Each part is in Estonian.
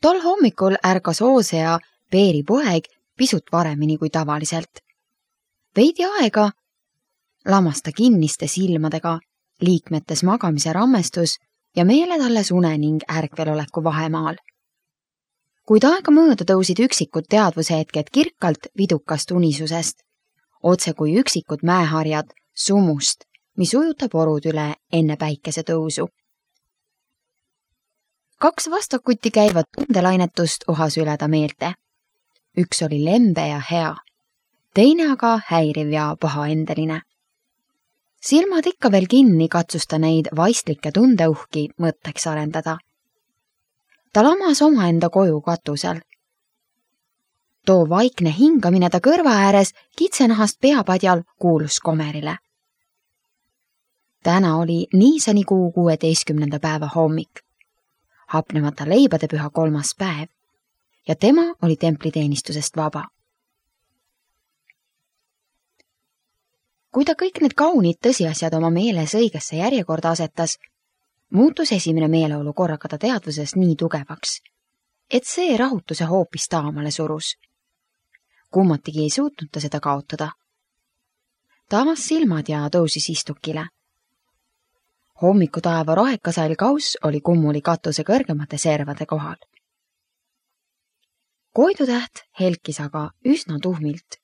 Tol hommikul ärkas Oose ja Peeri poeg pisut varemini kui tavaliselt. Veidi aega lamas ta kinniste silmadega, liikmetes magamise rammestus ja meeled alles une ning ärkveloleku vahemaal. Kuid aega mööda tõusid üksikud teadvushetked kirkalt vidukast unisusest, otse kui üksikud mäeharjad sumust, mis ujutab orud üle enne päikese tõusu. 2 vastakuti käivat tundelainetust uhas üle ta meelte. Üks oli lembe ja hea, teine aga häiriv ja pahaendeline. Silmad ikka veel kinni katsus ta neid vaistlikke tundeuhki mõtteks arendada. Ta lamas omaenda koju katusel. Too vaikne hingamine ta kõrva ääres kitsenahast peapadjal kuulus Komerile. Täna oli niisani kuu 16. päeva hommik, hapnemata leibade püha 3. päev ja tema oli templiteenistusest vaba. Kui ta kõik need kaunid tõsiasjad oma meeles õigesse järjekorda asetas, muutus esimene meeleolu korraga ta teadvuses nii tugevaks, et see rahutuse hoopis taamale surus. Kummatigi ei suutnud ta seda kaotada. Ta avas silmad ja tõusis istukile. Hommikutaeva rohekasall kauss oli kummuli katuse kõrgemate servade kohal. Koidutäht helkis aga üsna tuhmilt.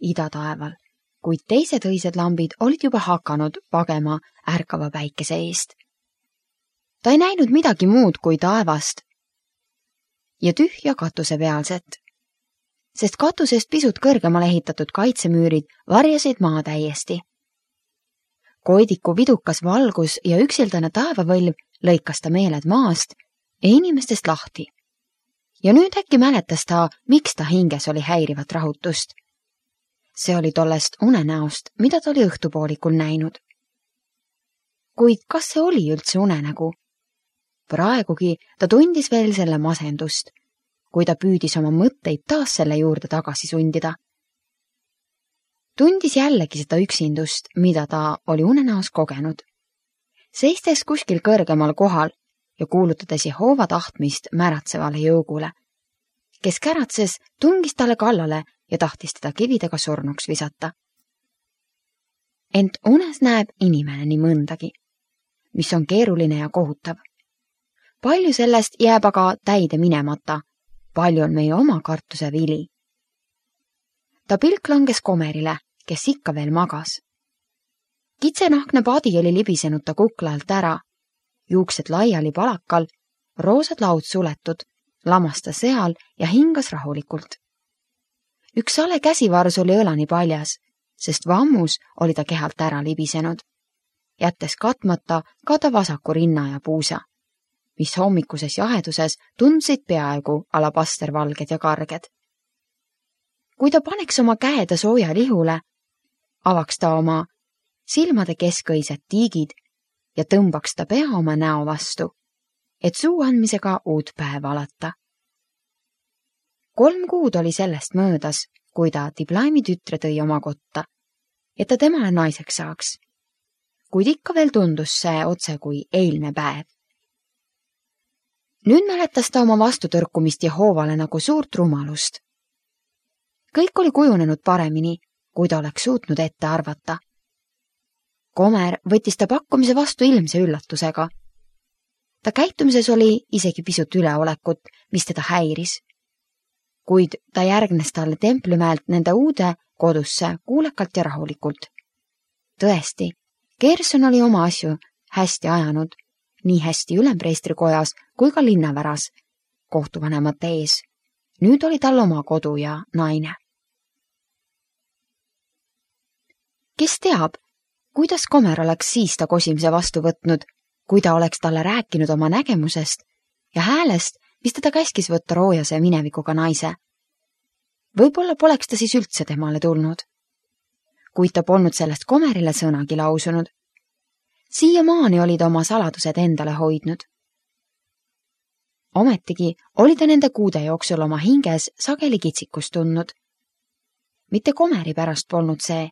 Idataeval, kuid teised õised lambid olid juba hakanud pagema ärkava päikese eest. Ta ei näinud midagi muud kui taevast ja tühja katuse pealset, sest katusest pisut kõrgemale ehitatud kaitsemüürid varjasid maa täiesti. Koidiku vidukas valgus ja üksildane taevavõlv lõikas ta meeled maast ja inimestest lahti. Ja nüüd äkki mäletas ta, miks ta hinges oli häirivat rahutust. See oli tollest unenäost, mida ta oli õhtupoolikul näinud. Kuid kas see oli üldse unenägu? Praegugi ta tundis veel selle masendust, kui ta püüdis oma mõtteid taas selle juurde tagasi sundida. Tundis jällegi seda üksindust, mida ta oli unenäos kogenud. Seistes kuskil kõrgemal kohal ja kuulutades Jehova tahtmist märatsevale jõugule, kes käratses, tungis talle kallale ja tahtis teda kividega surnuks visata. Ent unes näeb inimene nii mõndagi, mis on keeruline ja kohutav. Palju sellest jääb aga täide minemata, palju on meie oma kartuse vili. Ta pilk langes Komerile, kes ikka veel magas. Kitsenahkne padi oli libisenud ta kukla alt ära, juuksed laiali palakal, roosad laud suletud, lamas ta seal ja hingas rahulikult. Üks sale käsivars oli õlani paljas, sest vammus oli ta kehalt ära libisenud, jättes katmata ka ta vasaku rinna ja puusa, mis hommikuses jaheduses tundsid peaaegu alapastervalged ja karged. Kui ta paneks oma käe sooja lihule, avaks ta oma silmade keskõised tiigid ja tõmbaks ta pea oma näo vastu, et suu andmisega uut päeva alata. 3 kuud oli sellest möödas, kui ta Diblaimi tütre tõi oma kotta, et ta temale naiseks saaks. Kuid ikka veel tundus see otse kui eilne päev. Nüüd mäletas ta oma vastutõrkumist Jehovale nagu suurt rumalust. Kõik oli kujunenud paremini, kui ta oleks suutnud ette arvata. Komer võttis ta pakkumise vastu ilmse üllatusega. Ta käitumises oli isegi pisut üleolekut, mis teda häiris. Kuid ta järgnes talle Templimäelt nende uude kodusse kuulekalt ja rahulikult. Tõesti, Gerson oli oma asju hästi ajanud, nii hästi ülempreestrikojas kui ka linnaväras, kohtuvanemate ees. Nüüd oli tal oma kodu ja naine. Kes teab, kuidas Komer oleks siis ta kosimise vastu võtnud, kui ta oleks talle rääkinud oma nägemusest ja häälest, mis teda käskis võtta roojase minevikuga naise. Võib-olla poleks ta siis üldse temale tulnud. Kuid ta polnud sellest Komerile sõnagi lausunud. Siiamaani oli ta oma saladused endale hoidnud. Ometigi oli ta nende kuude jooksul oma hinges sageli kitsikust tundnud. Mitte Komeri pärast polnud see,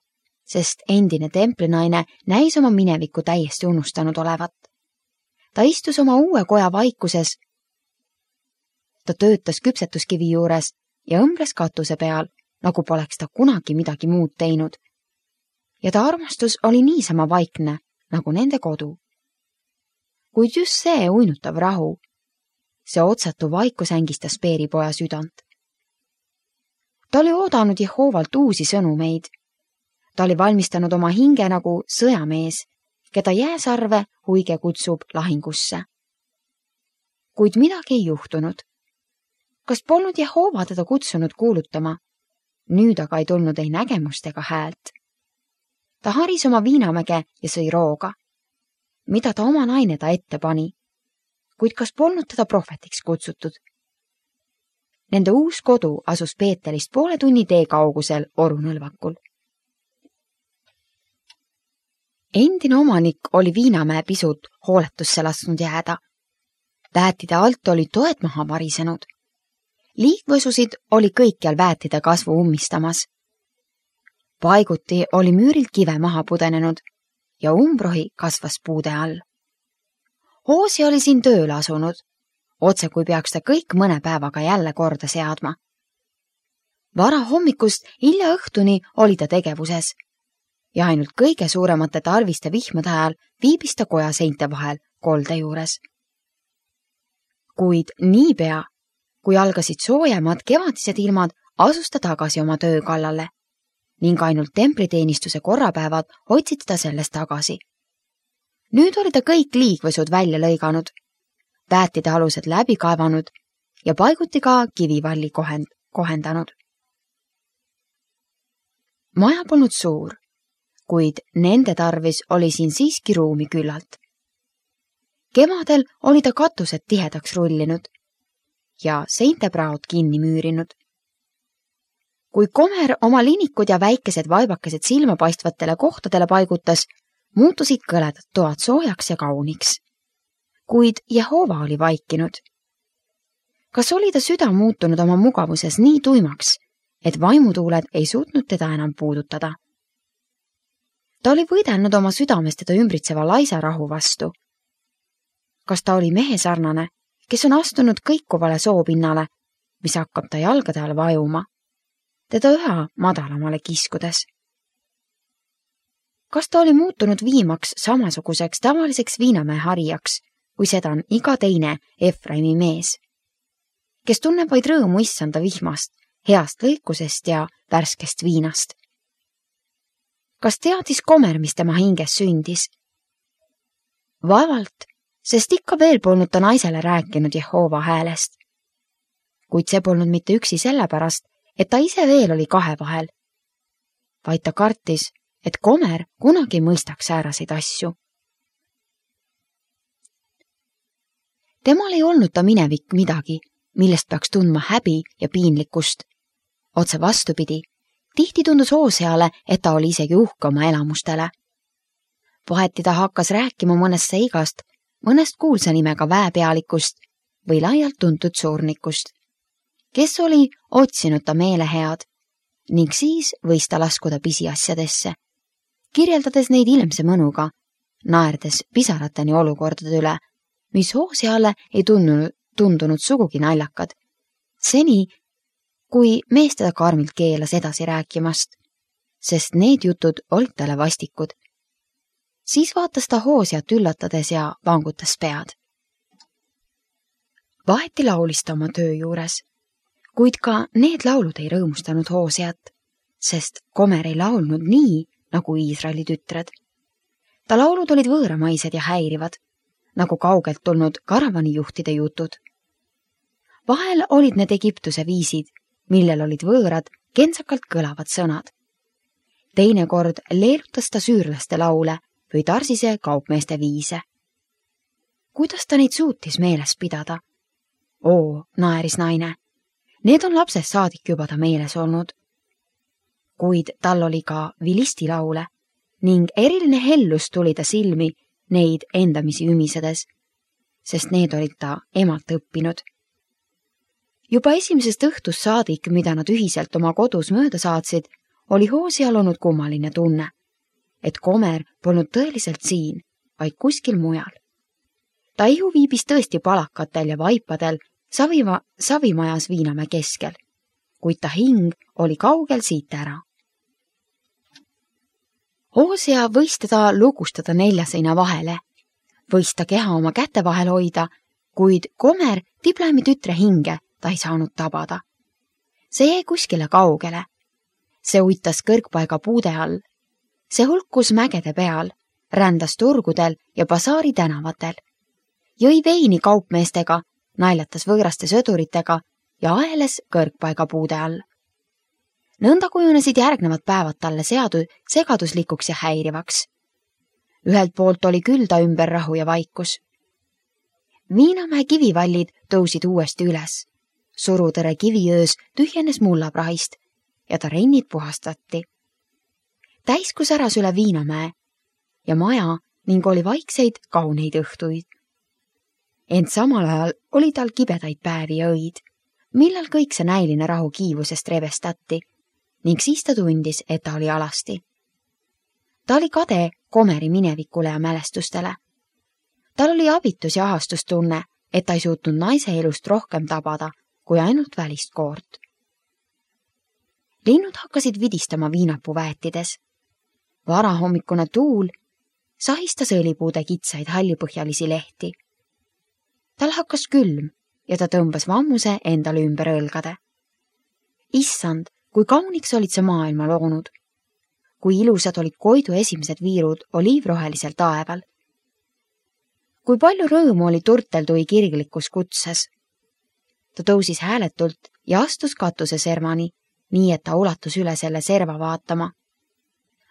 sest endine templinaine näis oma minevikku täiesti unustanud olevat. ta istus oma uue koja vaikuses. Ta töötas küpsetuskivi juures ja õmbles katuse peal, nagu poleks ta kunagi midagi muud teinud. Ja ta armastus oli niisama vaikne, nagu nende kodu. Kuid just see uinutav rahu, see otsatu vaikus ängistas Peeripoja südant. Ta oli oodanud Jehoovalt uusi sõnumeid. Ta oli valmistanud oma hinge nagu sõjamees, keda jääsarve huige kutsub lahingusse. Kuid midagi ei juhtunud. Kas polnud Jehoova teda kutsunud kuulutama? Nüüd aga ei tulnud ei nägemust ega häält. Ta haris oma viinamäge ja sõi rooga. Mida ta oma naine ta ette pani? Kuid kas polnud teda prohvetiks kutsutud? Nende uus kodu asus Peetelist poole tunni tee kaugusel orunõlvakul. Endine omanik oli viinamäe pisut hooletusse lasknud jääda. Väetide alt oli toed maha varisenud. Liigvõsusid oli kõikjal väetide kasvu ummistamas. Paiguti oli müürilt kive maha pudenenud ja umbrohi kasvas puude all. Hoosi oli siin tööle asunud, otse kui peaks ta kõik mõne päevaga jälle korda seadma. Vara hommikust hilja õhtuni oli ta tegevuses ja ainult kõige suuremate talviste vihmade ajal viibis ta koja seinte vahel kolde juures. Kuid niipea, kui algasid soojemad kevadised ilmad, asus ta tagasi oma töö kallale ning ainult templiteenistuse korrapäevad hoidsid ta sellest tagasi. Nüüd oli ta kõik liigvõsud välja lõiganud, väetide alused läbi kaevanud ja paiguti ka kivivalli kohendanud. Maja polnud suur, kuid nende tarvis oli siin siiski ruumi küllalt. Kevadel oli ta katused tihedaks rullinud ja seintepraod kinni müürinud. Kui Komer oma linikud ja väikesed vaibakesed silmapaistvatele kohtadele paigutas, muutusid kõledad toad soojaks ja kauniks. Kuid Jehoova oli vaikinud. Kas oli ta süda muutunud oma mugavuses nii tuimaks, et vaimutuuled ei suutnud teda enam puudutada? Ta oli võidelnud oma südames teda ümbritseva laisa rahu vastu. Kas ta oli mehesarnane, kes on astunud kõikuvale soopinnale, mis hakkab ta jalgade all vajuma, teda üha madalamale kiskudes? Kas ta oli muutunud viimaks samasuguseks tavaliseks viinamäe harijaks, kui seda on iga teine Efraimi mees, kes tunneb vaid rõõmu issanda vihmast, heast lõikusest ja värskest viinast? Kas teadis Komer, mis tema hinges sündis? Vaevalt, sest ikka veel polnud ta naisele rääkinud Jehoova häälest. Kuid see polnud mitte üksi sellepärast, et ta ise veel oli kahe vahel, vaid ta kartis, et Komer kunagi mõistaks sääraseid asju. Temal ei olnud ta minevik midagi, millest peaks tundma häbi ja piinlikkust. Otse vastupidi, tihti tundus Hooseale, et ta oli isegi uhke oma elamustele. Vaheti ta hakkas rääkima mõnest seigast, mõnest kuulsa nimega väepealikust või laialt tuntud suurnikust, kes oli otsinud ta meelehead ning siis võis ta laskuda pisiasjadesse, kirjeldades neid ilmse mõnuga, naerdes pisarateni olukordade üle, mis Hooseale ei tundunud sugugi naljakad, seni kui mees teda karmilt keelas edasi rääkimast, sest need jutud olid talle vastikud. Siis vaatas ta Hooseat üllatades ja vangutas pead. Vaheti laulis ta oma töö juures, kuid ka need laulud ei rõõmustanud Hooseat, sest Komer ei laulnud nii, nagu Iisraeli tütred. Ta laulud olid võõramaised ja häirivad, nagu kaugelt tulnud karavanijuhtide jutud. Vahel olid need Egiptuse viisid, millel olid võõrad, kentsakalt kõlavad sõnad. Teinekord leerutas ta süürlaste laule või Tarsise kaupmeeste viise. Kuidas ta neid suutis meeles pidada? Oo, naeris naine, need on lapsest saadik juba ta meeles olnud. Kuid tal oli ka vilisti laule ning eriline hellus tuli ta silmi neid endamisi ümisedes, sest need olid ta emalt õppinud. Juba esimesest õhtust saadik, mida nad ühiselt oma kodus mööda saatsid, oli Hooseal olnud kummaline tunne, et Komer polnud tõeliselt siin, vaid kuskil mujal. Ta ihu viibis tõesti palakatel ja vaipadel Savimajas Viinamäe keskel, kuid ta hing oli kaugel siit ära. Hoosia võis teda lugustada 4 seina vahele, võis ta keha oma käte vahel hoida, kuid Komer Tiblemi tütre hinge ta ei saanud tabada. See jäi kuskile kaugele. See uitas kõrgpaiga puude all. See hulkus mägede peal, rändas turgudel ja basaari tänavatel. Jõi veini kaupmeestega, naljatas võõraste sõduritega ja aeles kõrgpaiga puude all. Nõnda kujunesid järgnevad päevad talle segaduslikuks ja häirivaks. Ühelt poolt oli küll ta ümber rahu ja vaikus. Viinamäe kivivallid tõusid uuesti üles. Surutõre kiviöös tühjenes mullaprahist ja ta rennid puhastati. Täisku säras üle Viinamäe ja maja ning oli vaikseid kauneid õhtuid. Ent samal ajal oli tal kibedaid päevi ja õid, millal kõik see näiline rahu kiivusest revestati ning siis ta tundis, et ta oli alasti. Ta oli kade Komeri minevikule ja mälestustele. Tal oli abitus ja ahastustunne, et ta ei suutnud naise elust rohkem tabada kui ainult välist koort. Linnud hakkasid vidistama viinapuu väetides. Varahommikune tuul sahistas õlipuude kitsaid hallipõhjalisi lehti. Tal hakkas külm ja ta tõmbas vammuse endale ümber õlgade. Issand, kui kauniks olid sa maailma loonud. Kui ilusad olid koidu esimesed viirud oliivrohelisel taeval. Kui palju rõõmu oli turteldui kirglikus kutses. Ta tõusis hääletult ja astus katuse servani, nii et ta ulatus üle selle serva vaatama.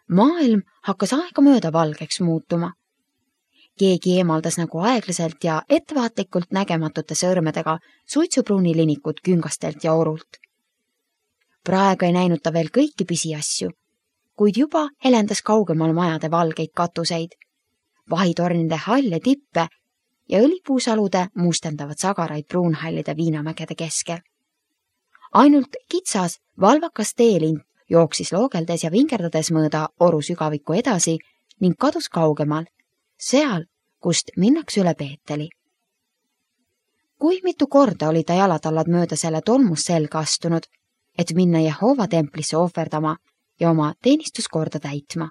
Maailm hakkas aegamööda valgeks muutuma. Keegi eemaldas nagu aeglaselt ja ettevaatlikult nägematute sõrmedega suitsupruunilinikut küngastelt ja orult. Praegu ei näinud ta veel kõiki pisiasju, kuid juba helendas kaugemal majade valgeid katuseid, vahitornide halle tippe ja õlipuusalude mustendavad sagaraid pruunhallide Viinamägede keskel. Ainult kitsas, valvakas teelind jooksis loogeldes ja vingerdades mööda oru sügaviku edasi ning kadus kaugemal, seal, kust minnakse üle Peeteli. Kui mitu korda oli ta jalatallad mööda selle tolmus selga astunud, et minna Jehova templisse ohverdama ja oma teenistuskorda täitma.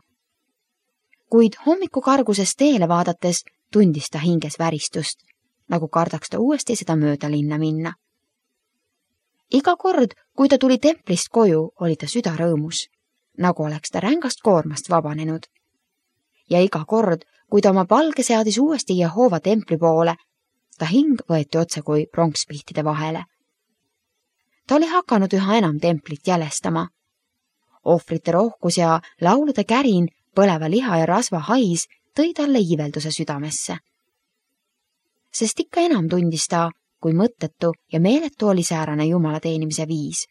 Kuid hommikukargusest teele vaadates tundis ta hinges väristust, nagu kardaks ta uuesti seda mööda linna minna. Iga kord, kui ta tuli templist koju, oli ta süda rõõmus, nagu oleks ta rängast koormast vabanenud. Ja iga kord, kui ta oma palge seadis uuesti Jehova templi poole, ta hing võeti otse kui pronkspihtide vahele. Ta oli hakanud üha enam templit jälestama. Ohvrite rohkus ja laulude kärin, põleva liha ja rasva hais tõi talle iivelduse südamesse. Sest ikka enam tundis ta, kui mõttetu ja meeletu oli säärane Jumala teenimise viis.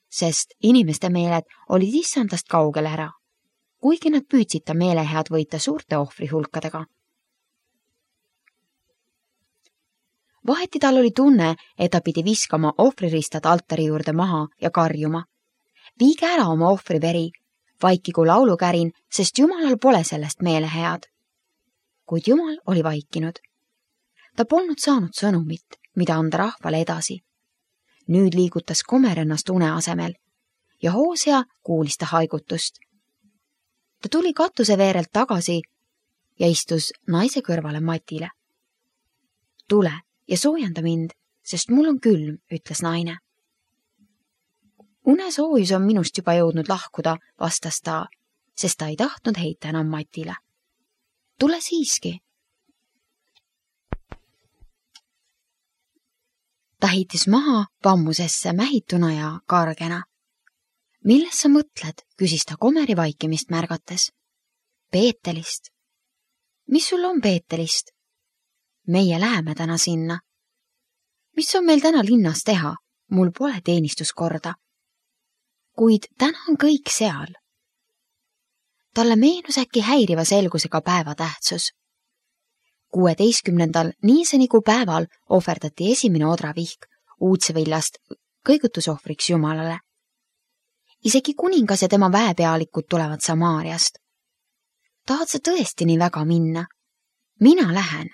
Sest inimeste meeled olid issandast kaugel ära, kuigi nad püüdsid ta meelehead võita suurte ohvrihulkadega. Vaheti tal oli tunne, et ta pidi viskama ohvriristad altari juurde maha ja karjuma. Viige ära oma ohvriveri, vaikigu laulukärin, sest Jumalal pole sellest meelehead. Kuid Jumal oli vaikinud. Ta polnud saanud sõnumit, mida anda rahvale edasi. Nüüd liigutas Komer ennast une asemel ja Hoosia kuulis ta haigutust. Ta tuli katuseveerelt tagasi ja istus naise kõrvale matile. Tule ja soojenda mind, sest mul on külm, ütles naine. Unesoojus on minust juba jõudnud lahkuda, vastas ta, sest ta ei tahtnud heita enam matile. Tule siiski. Ta heitis maha vammusesse mähituna ja kargena. Milles sa mõtled, küsis ta Komeri vaikimist märgates. Peetelist. Mis sul on Peetelist? Meie läheme täna sinna. Mis on meil täna linnas teha? Mul pole teenistuskorda. Kuid täna on kõik seal. Talle meenus äkki häiriva selgusega päeva tähtsus. 16. niisenigu päeval ohverdati esimene odravihk uudsevillast kõigutusohvriks Jumalale. Isegi kuningas ja tema väepealikud tulevad Samaariast. Tahad sa tõesti nii väga minna? Mina lähen.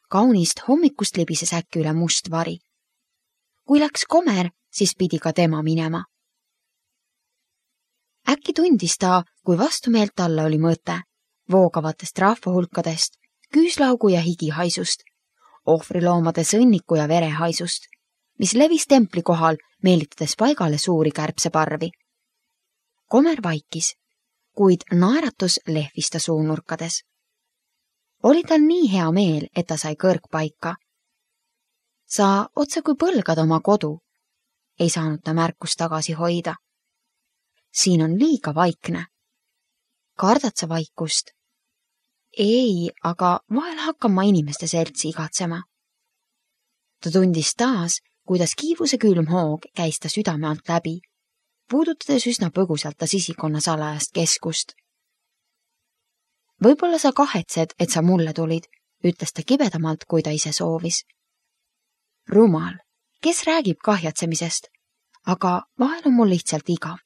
Kaunist hommikust libises äkki üle must vari. Kui läks Komer, siis pidi ka tema minema. Äkki tundis ta, kui vastumeelt talle oli mõte, voogavatest rahvahulkadest, küüslaugu ja higihaisust, ohvriloomade sõnniku ja verehaisust, mis levis templi kohal, meelitades paigale suuri kärbseparvi. Komer vaikis, kuid naeratus lehvis ta suunurkades. Oli tal nii hea meel, et ta sai kõrgpaika. Sa otse kui põlgad oma kodu. Ei saanud ta märkust tagasi hoida. Siin on liiga vaikne. Kardad sa vaikust? Ei, aga vahel hakkan ma inimeste seltsi igatsema. Ta tundis taas, kuidas kiivuse külm hoog käis ta südame alt läbi, puudutades üsna põgusalt ta sisikonna salajast keskust. Võib-olla sa kahetsed, et sa mulle tulid, ütles ta kibedamalt, kui ta ise soovis. Rumal, kes räägib kahjatsemisest, aga vahel on mul lihtsalt igav.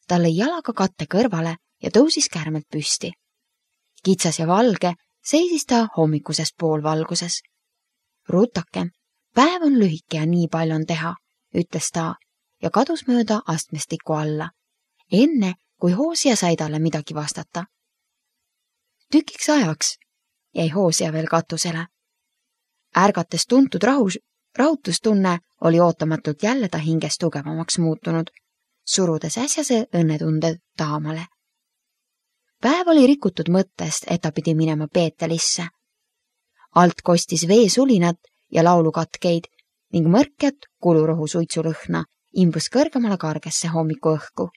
Ta lõi jalaga katte kõrvale ja tõusis kärmelt püsti. Kitsas ja valge seisis ta hommikuses poolvalguses. Rutakem, päev on lühike ja nii palju on teha, ütles ta ja kadus mööda astmestiku alla, enne kui Hoosia sai talle midagi vastata. Tükiks ajaks jäi Hoosia veel katusele. Ärgates tuntud rahutustunne oli ootamatult jälle ta hinges tugevamaks muutunud, surudes äsjase õnnetunde taamale. Päev oli rikutud mõttest, et ta pidi minema Peetelisse. Alt kostis veesulinat ja laulukatkeid ning mõrkjat kulurohu suitsulõhna imbus kõrgemale kargesse hommikuõhku.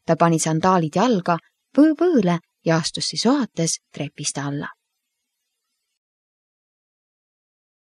Ta pani sandaalid jalga põõle ja astus siis ohates trepist alla.